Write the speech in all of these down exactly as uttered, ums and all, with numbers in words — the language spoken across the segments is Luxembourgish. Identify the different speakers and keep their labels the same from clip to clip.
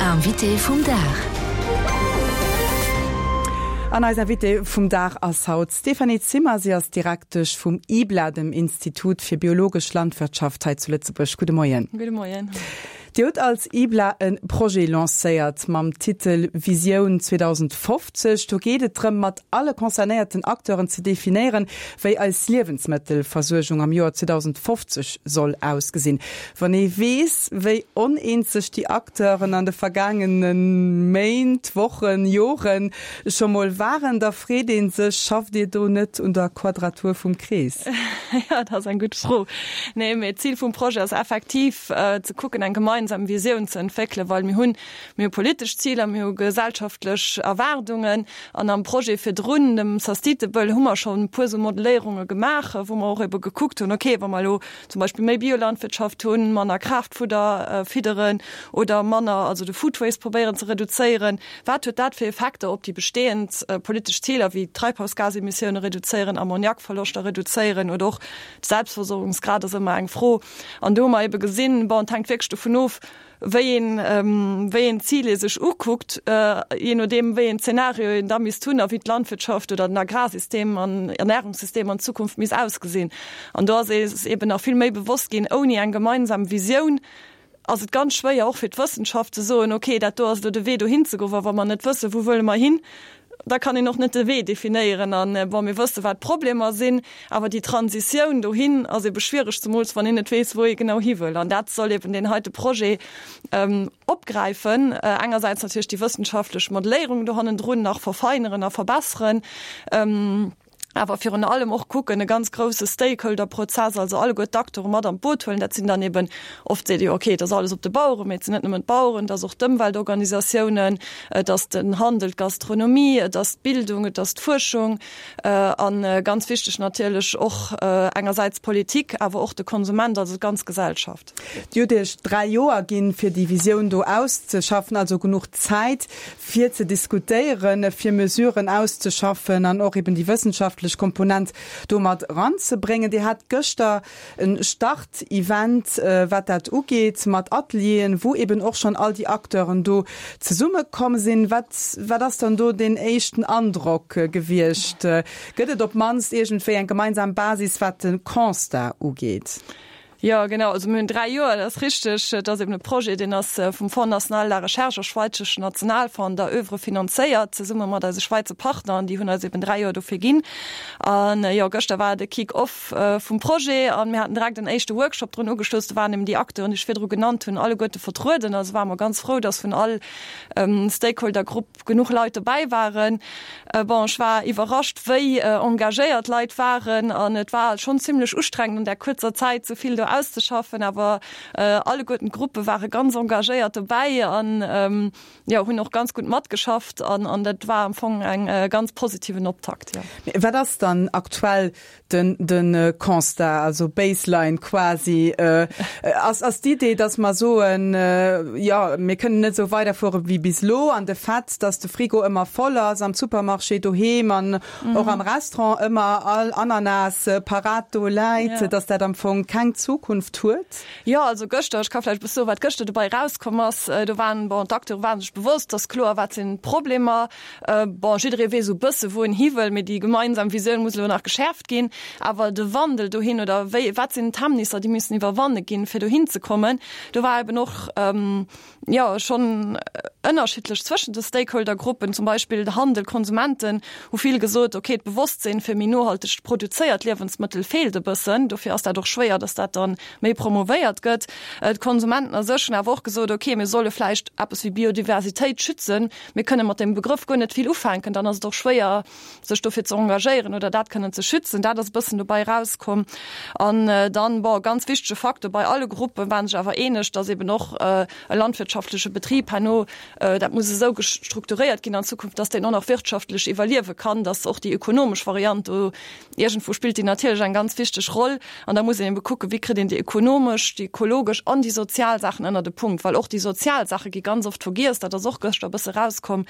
Speaker 1: Invité vum Dag.
Speaker 2: An eis Invitée vum Dag ass haut Stéphanie Zimmer. Si ass Direktesch vum IBLA, dem Institut fir biologesch Landwirtschaft hei zu Lëtzebuerg. Gudde Moien.
Speaker 3: Gudde Moien.
Speaker 2: Dir hutt als IBLA e Projet lancéiert mam Titel Visioun zweedausendfofzeg. Do geet et drëm, mat alle concernéierten Acteuren ze definéieren, wéi eis Liewensmëttelversuergung am Joer zweedausendfofzeg soll ausgesinn. Wann ee weess, wéi oneens sech déi Acteuren an de vergaangene Méint, Wochen, Joren scho mol waren, da freet ee sech, Schafft Dir do net un der Quadratur vum Krees?
Speaker 3: Jo, dat ass eng gutt Fro. Nee, mee d'Zil vum Projet ass effektiv ze kucken, eng gemeinsam Visioun ze entwéckelen, well mir hunn, mir hu politesch Ziler, mir hu gesellschaftlech Erwaardungen an am Projet virdrun, dem Sustainable, hu mer schonn e puer esou Modelléierunge gemaach, wou mer och ebe gekuckt hunn, okay, wa mer elo zum Beispill méi Biolandwirtschaft hunn, manner Kraaftfudder fidderen oder manner, also de Food Waste probéieren ze reduzéieren, wat huet dat fir Effekter op déi bestehend politesch Ziler wéi Treibhausgasemissioune reduzéieren, Ammoniakverloschter reduzéieren oder och de Selbstversorgungsgrad ass ëmmer eng Fro. An do hu mer ebe gesinn, bon, et hänkt wierklech dovun of, wéi een, wéi een Zil ee sech ukuckt, jee nodeem wéi een Zeenario een da misst hunn a wéi d'Landwirtschaft oder den Agrarsystem an Ernährungssystem an Zukunft misst ausgesinn. An do ass eis eben nach vill méi bewosst ginn, ouni eng gemeinsam Visioun ass et ganz schwéier, och fir d'Wëssenschaft ze soen, okay, dat do ass elo de Wee dohin ze goen, well wa mer net wëssen, wou wëlle mer hin, da kann een och net de Wee definéieren. An bon, mir wësse wat d'Problemer sinn, awer déi Transitioun dohin ass ebe schwiereg, zemools wann een net weess, wou ee genau hi wëll. An dat soll eben deen heite Projet opgräifen, engersäits natierlech déi wëssenschaftlech Modelléierung do hannendrun nach verfeineren a verbesseren, awer virun allem och kucken, e ganz grousse Stakeholder-Prozess, also alleguer d'Acteure mat an d'Boot huelen. Dat sinn dann eben, oft seet ee jo, okay, et ass alles op de Baueren, mee et sinn net nëmmen d'Baueren, et ass och d'Ëmweltorganisatiounen, et ass den Handel, d'Gastronomie, et ass d'Bildung, et ass d'Fuerschung a ganz wichteg natierlech och engersäits d'Politik, awer och de Konsument, also d'ganz Gesellschaft.
Speaker 2: Dir hutt Iech dräi Joer ginn, fir déi Visioun do auszeschaffen, also genuch Zäit, fir ze diskutéieren, fir Mesuren auszeschaffen an och eben déi wëssenschaftlech Komponent do mat eranzebréngen. Dir hat gëschter e Start-Event, wat dat ugeet, mat Atelieren, wou eben och schonn all déi Acteuren do zesummekomm sinn. Wat, wat ass dann do deen éischten Androck gewiescht? Gëtt et op d'mannst iergendwéi eng gemeinsam Basis, wat de Constat ugeet?
Speaker 3: Jo, genau. Also mir hunn dräi Joer, dat ass richteg. Et ass eben e Projet, deen ass vum Fonds national de la recherche a Schweizeschen Nationalfonds an der Oeuvre finanzéiert, zesumme mat eise Schweizer Partner. An déi hunn eis eben dräi Joer dofir ginn. An jo, gëschter war de Kick-off vum Projet an mir haten direkt en éischte Workshop drun ugeschloss. Do waren eben déi Acteuren, déi ech virdru genannt hunn, alleguerte vertrueden. Also ware mer ganz frou, dass vun all Stakeholder-Grupp genuch Leit dobäi waren. Bon, ech war iwwerrascht, wéi engagéiert d'Leit waren an et war schonn zimlech ustrengend an där kuerzer Zäit sou vill do auszeschaffen, awer alleguerten d'Gruppe ware ganz engagéiert dobäi an jo, hunn och ganz gutt matgeschafft an an dat war am Fong eng ganz positiven Optakt, jo.
Speaker 2: Mee wat ass dann aktuell den de Constat, also Baseline quasi? Ass ass d'Idee, datt mer soen, jo, mir kënnen net esou weiderfuere wéi bis elo an de Fait, datt de Frigo ëmmer voll ass am Supermarché, doheem an och am Restaurant ëmmer all Ananas parat do läit, datt dat am Fong keng Zukunft huet?
Speaker 3: Jo, also gëschter, ech ka vläicht e bësse soen, wat gëschter dobäi erauskomm ass. Do waren, bon, d'Acteure ware sech bewosst, et ass kloer, wat sinn d'Problemer. Bon, jidderee weess esou e bësse wou en hi wëll, mee déi gemeinsam Visioun muss elo nach geschäerft ginn. Awer de Wandel dohin oder wéi, wat sinn d'Hemmnisser, déi müssen iwwerwanne ginn, fir dohin ze kommen, do war eben och, jo, schonn ënnerschiddlech zwëschen de Stakeholder-Gruppen. Zum Beispill de Handel, d'Konsumenten hu vill gesot, okay, d'Bewosstsinn fir méi nohalteg produzéiert Liewensmëttel feelt e bëssen, dofir ass dat och schwéier, dass dat dann méi promovéiert gëtt. D'Konsumenten a sech hunn awer och gesot, okay, mir solle vläicht eppes wéi Biodiversitéit schützen, mir kënne mat deem Begrëff guer net vill ufänken, dann ass et och schwéier, sech dofir ze engagéieren oder dat kënnen ze schützen. Dat ass e bëssen dobäi erauskomm. An dann, bon, ganz wichtege Faktor, bei alle Gruppe waren sech awer eeneg, dass eben och e landwirtschaftleche Betrib herno, dat muss esou strukturéiert ginn an Zukunft, dass deen och nach wirtschaftlech iwwerliewe kann, dass och déi ökonomesch Variant do iergendwou spillt déi natierlech eng ganz wichteg Roll. An da muss een ebe kucken, wéi kritt kritt een déi ekonomesch, déi ökologesch an déi sozial Saachen ënnert e Punkt, well och déi sozial Saache gi ganz oft vergiess, dat ass och gëschter e bësse rauskomm,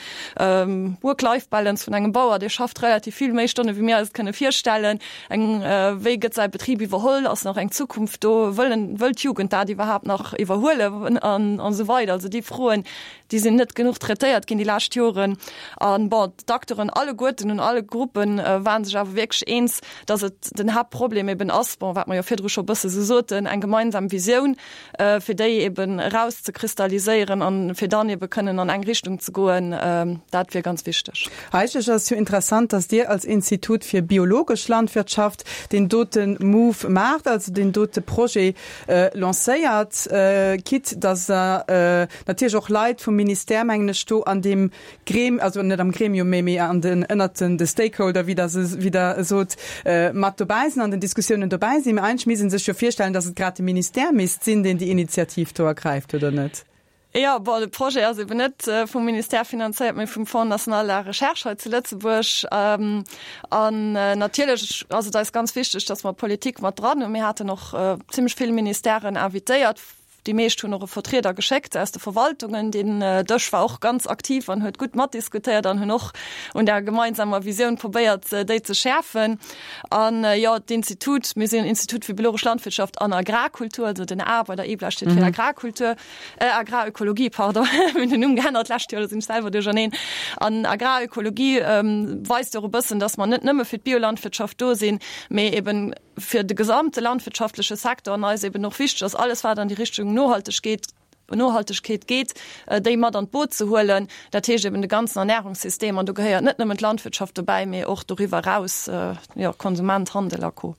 Speaker 3: Work-Life-Balance vun engem Bauer, dee schafft relativ vill méi Stonne wéi mir eis et kënne virstellen, eng, wéi gëtt säi Betrib iwwerholl, ass nach eng Zukunft do, wëllen, wëll d'Jugend dat iwwerhaapt nach iwwerhuelen an esou weider. Also déi Froen, déi sinn net genuch traitéiert ginn déi lescht Joren. An bon, d'Acteuren alleguerten un alle Gruppen waren sech awer wierklech eens, dass et den Haaptproblem eben ass, bon, wat mer jo virdru scho e bësse sou soten, eng gemeinsam Visioun, fir déi eben erauszekristalliséieren an fir dann ebe kënnen an eng Richtung ze goen, dat wier ganz wichteg.
Speaker 2: Eigentlech ass et jo interessant, dass Dir als Institut fir biologesch Landwirtschaft deen dote Move maacht, also deen dote Projet lancéiert, quitte dass Der natierlech och Leit vum Ministère, mengen ech, do an deem Gremium, also net am Gremium, mä méi an den, ënnert den de Stakeholder, wéi Der se, wéi Der sot, mat dobäi sinn, an den Diskussiounen dobäi sinn. Mä eigentlech misst ee sech jo virstellen, dass et grad de Ministère misst sinn, deen déi Initiativ do ergräift, oder net?
Speaker 3: Jo, bon, de Projet ass eben net vum Ministère finanzéiert, mä vum Fonds national de la recherche hei zu Lëtzebuerg. An natierlech ass et eis ganz wichteg, dass mer d'Politik mat dran hunn. Mir haten och zimlech vill Ministèren invitéiert. Déi meescht hunn och e Vertrieder geschéckt aus de Verwaltungen. Deen Dësch war och ganz aktiv an huet gutt matdiskutéiert an hunn och un der gemeinsamer Visioun probéiert, déi ze schäerfen. An, jo, d'Institut, mir sinn en Institut fir biologesch Landwirtschaft an Agrarkultur, also den A bei der IBLA steet fir Agrarkultur, Agrarökologie, pardon, mir hunn den Numm geännert d'lescht Joer, do sinn ech selwer duercherneen. An Agrarökologie weist jo och e bëssen, dass mer net nëmme fir d'Biolandwirtschaft do sinn, mee eben fir de gesamte landwirtschaftleche Secteur an eis eben och wichteg ass, alles wat an déi Richtung Nohaltegkeet, Nohaltegkeet geet, déi mat an d'Boot ze huelen. Dat heescht eben de ganzen Ernährungssystem an do gehéiert net nëmmen d'Landwirtschaft dobäi, mee och doriwwer eraus, jo, Konsument, Handel a Co.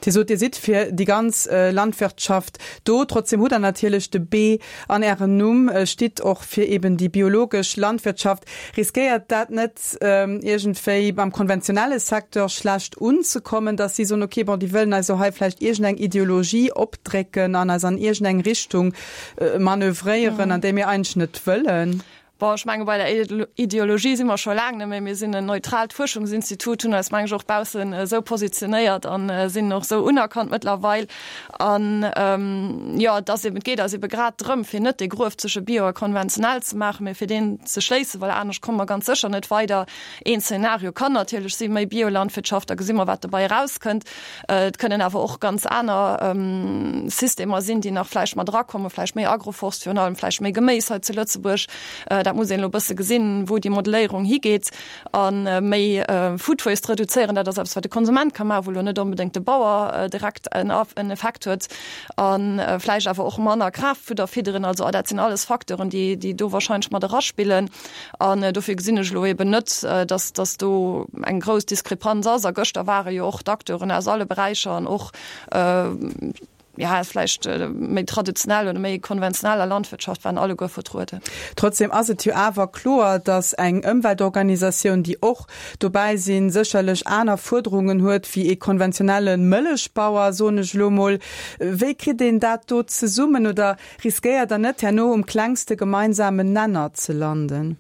Speaker 2: Dir sot, Dir sidd fir déi ganz Landwirtschaft do. Trotzdem hutt Der natierlech de B an Ärem Numm, stitt och fir eben déi biologesch Landwirtschaft. Riskéiert dat net iergendwéi beim konventionelle Secteur schlecht unzekommen, datt si soen, okay, bon, déi wëllen eis elo hei vläicht iergendeng Ideologie opdrécken an eis an iergendeng Richtung manövréieren, an déi mir eigentlech net wëllen?
Speaker 3: Bon, ech menge bei der Ideologie si mer scho laang net méi. Mir sinn en neutraalt Fuerschungsinstitut, hunn eis, meng ech, och baussen esou positionéiert a sinn och esou unerkannt mëttlerweil. An, jo, et ass eben, et geet eis ebe grad drëm, fir net dee Gruef zwësche Bio a konventionell ze maachen, mee fir deen ze schléissen, well anescht komme mer ganz sécher net weider. Een Zeenario kann natierlech si méi Biolandwirtschaft, da gesi mer, wat dobäi erauskënnt. Et kënnen awer och ganz aner Systemer sinn, déi nach vläicht mat erakommen, vläicht méi Agroforst virun allem, vläicht méi Geméis hei zu Lëtzebuerg. Dat muss een elo e bësse gesinn, wou déi Modelléierung higeet. A méi Food Waste reduzéieren, dat ass eppes, wat de Konsument ka maachen, wou elo net onbedéngt de Bauer direkt en Effekt huet. A vläicht awer och manner Kraaftfudder fidderen. Also dat sinn alles Facteuren, déi, déi do wahrscheinlech mat eraspillen. An dofir gesinn ech elo eben net, dass, dass do eng grouss Diskrepanz ass. A gëschter ware jo och d'Acteuren aus alle Beräicher an och, ja, vläicht méi traditionell oder méi konventioneller Landwirtschaft waren alleguer vertrueden.
Speaker 2: Trotzdem ass et jo awer kloer, dass eng Ëmweltorganisatioun, déi och dobäi sinn, sécherlech aner Fuerderungen huet wéi ee konventionelle Mëllechbauer, soen ech elo mol. Wéi kritt een dat do zesummen oder riskéiert Der net, herno um klengste gemeinsamen Nenner ze landen?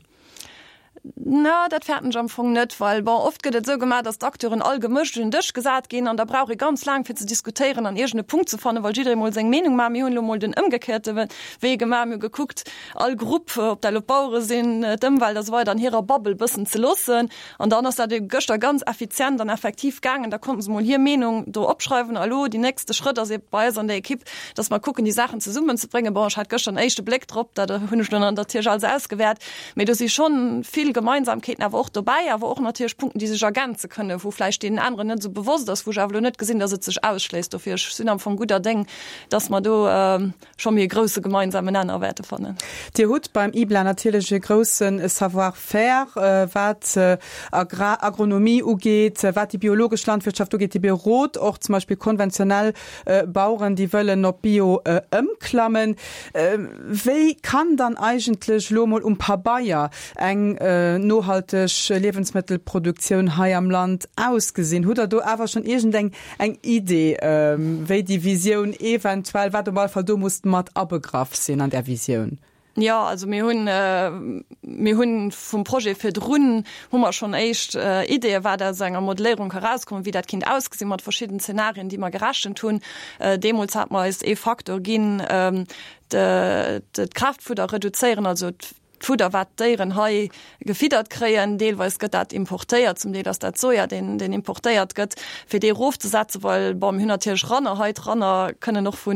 Speaker 3: Na, dat fäerten ech am Fong net, well, bon, oft gëtt et esou gemaach, datt d'Acteuren all gemëscht un den Dësch gesat ginn an da brauch ee ganz laang fir ze diskutéieren an iergend e Punkt ze fannen, well jidderee mol seng Meenung maacht. Mir hunn elo mol den ëmgekéierte Wee gemaach, mir hu gekuckt, all Grupp, ob dat elo d'Bauere sinn, d'Ëmwelt a sou weider, an hirer Bubble bëssen ze loossen an dann ass dat ebe gëschter ganz effizient an effektiv gaangen. Da konnten se mol hir Meenung do opschreiwen a elo déi nächste Schrëtt ass ebe bei eis an der Ekipp, datt mer kucken, déi Saachen zesummenzebréngen. Bon, ech hat gëschter en éischte Bléck drop, dat hunn ech elo natierlech alles ausgewäert, mee do si schonn vill Gemeinsamkeeten awer och dobäi, awer och natierlech Punkten, déi sech ergänze kënnen, wou vläicht deenen aneren net esou bewosst ass, wou ech awer elo net gesinn, datt et sech ausschléisst. Dofir, ech sinn am Fong gudder Déng, datt mer do scho méi e grousse gemeinsamen Nenner wäerte fannen.
Speaker 2: Dir hutt beim IBLA natierlech e grousse Savoir-faire, wat Agrar, Agronomie ugeet, wat déi biologesch Landwirtschaft ugeet. Dir berot och zum Beispill konventionell Baueren, déi wëllen op Bio ëmklammen. Wéi kann dann eigentlech elo emol um Pabeier eng nohalteg Liewensmëttelproduktioun hei am Land ausgesinn? Hutt Der do awer schonn iergendeng eng Idee, wéi déi Visioun eventuell, wat op alle Fall do muss mat abegraff sinn an där Visioun?
Speaker 3: Jo, also mir hunn, mir hunn vum Projet virdrun hu mer schonn éischt Ideeë wat aus enger Modelléierung ka rauskommen, wéi dat kinnt ausgesinn mat verschidden Zenarien, déi mer gerechent hunn. Deemools hat mer eis ee Faktor ginn, d'Kraaftfudder reduzéieren, also d'Fudder wat d'Déieren hei gefiddert kréien. Deelweis gëtt dat importéiert, zum Deel ass dat Soja, deen, deen importéiert gëtt, fir dee erofzesetzen, well, bon, mir hunn natierlech Ranner hei, d'Ranner kënnen och vu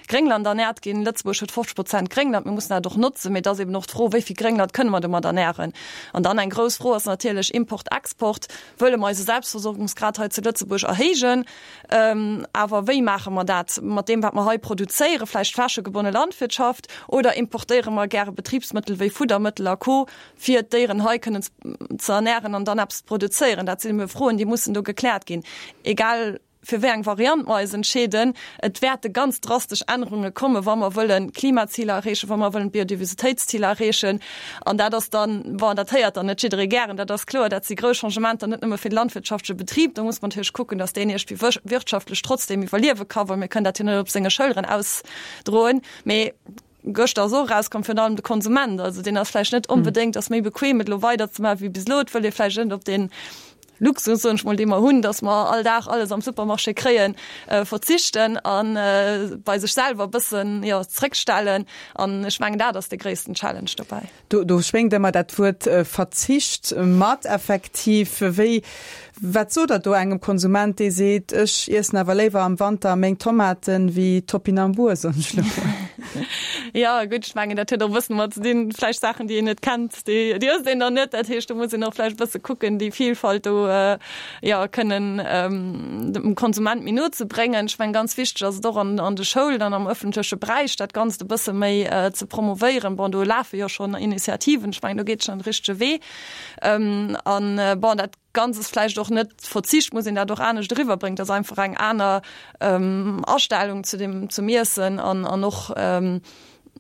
Speaker 3: Gréngland ernäert ginn. Lëtzebuerg huet fofzeg Prozent Gréngland, mir mussen dat och notzen, mee et ass eben och d'Fro, wéi vill Gréngland kënne mer domat ernären? An dann eng grouss Fro ass natierlech Import-Export. Wëlle mer eise Selbstversorgungsgrad hei zu Lëtzebuerg erhéijen? Awer wéi maache mer dat? Mat deem, wat mer hei produzéieren, vläicht flächegebonne Landwirtschaft, oder importéiere mer gäre Betribsmëttel wéi Fuddermëttel a Co. Fir d'Déieren hei kënnen ze ernären an dann eppes ze produzéieren? Dat sinn ebe Froen, déi mussen do gekläert ginn. Egal fir wéi eng Variant mer eis entscheeden, et wäerte ganz drastesch Ännerunge kommen, wa mer wëllen d'Klimaziler erreechen, wa mer wëllen d'Biodiversitéitsziler erreechen. An dat ass dann, bon, dat héiert dann net jidderee gären, dat ass kloer, dat si grouss Changementer, net nëmme fir de landwirtschaftleche Betrib. Do muss mer natierlech kucken, datt deen iergendwéi wirtschaftlech trotzdeem iwwerliewe ka, well mir kënnen dat jo net op senge Schëlleren ausdroen. Mee gëschter ass och erauskomm, virun allem de Konsument, also deen ass vläicht net onbedéngt, ass méi bequem et elo weiderzemaachen wéi bis elo. Et wëll ee vläicht net op deen Luxus, soen ech mol, dee mer hunn, dass mer all Dag alles am Supermarché kréien, verzichten a bei sech selwer e bëssen, jo, zréckstellen. An ech mengen, dat ass de gréissten Challenge dobäi.
Speaker 2: Do, do schwéngt ëmmer dat Wuert Verzicht mat, effektiv. Wéi, wat sot Der do engem Konsument, dee seet, ech iessen awer léiwer am Wanter meng Tomaten wéi Topinambour, soen ech elo mol?
Speaker 3: Jo, gutt, ech mengen, dat huet och e bëssen mat ze dinn, vläicht Saachen, déi een net kennt, déi, déi ësst een dann net. Dat heescht, do muss een och vläicht e bësse kucken, déi Vielfalt do, jo, kënnen dem Konsument méi no ze bréngen. Ech mengen, ganz wichteg ass et och an, an de Schoulen an am ëffentleche Beräich, dat Ganzt e bësse méi ze promovéieren. Bon, do lafe jo schonn Initiativen, ech mengen, do geet schonn de richtege Wee. An, bon, dat Ganzt ass vläicht och net Verzicht, muss een dat och anescht eriwwerbréngen, dat ass einfach eng aner Astellung zu dem, zum Iessen an, an och,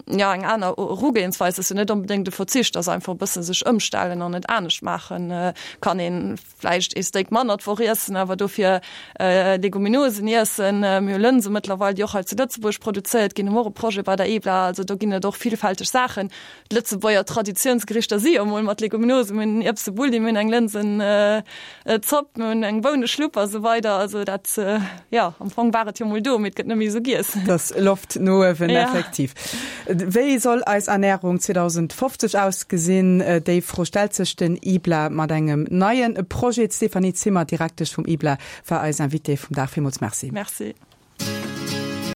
Speaker 3: jo, eng aner Erugehensweis. Ass jo net onbedéngt e Verzicht, ass einfach e bësse sech ëmstellen an et anescht maachen. Kann ee vläicht ee Steak manner d'Woch iessen, awer dofir Leguminosen iessen. Mir hu Lënse mëttlerweil, déi och hei zu Lëtzebuerg produzéiert ginn, hu mer och e Projet bei der EBLA. Also do ginn et och villfälteg Saachen. D'Lëtzebuerger Traditiounsgerichter si jo emol mat Leguminosen, mir hunn en Ierbsebulli, mir hunn eng Lënsenzopp, mir hunn eng Bouneschlupp a sou weider. Also dat, jo, am Fong war et jo emol do, mee et gëtt net méi esou giess.
Speaker 2: Et ass Loft no uewen, effektiv. Wéi soll eis Ernärung zweedausendfofzeg ausgesinn? Déi Fro stellt sech den IBLA mat engem neie Projet. D'Stéphanie Zimmer, Direktesch vum IBLA, war eis Invitée vum Dag. Villmools Merci.
Speaker 3: Merci.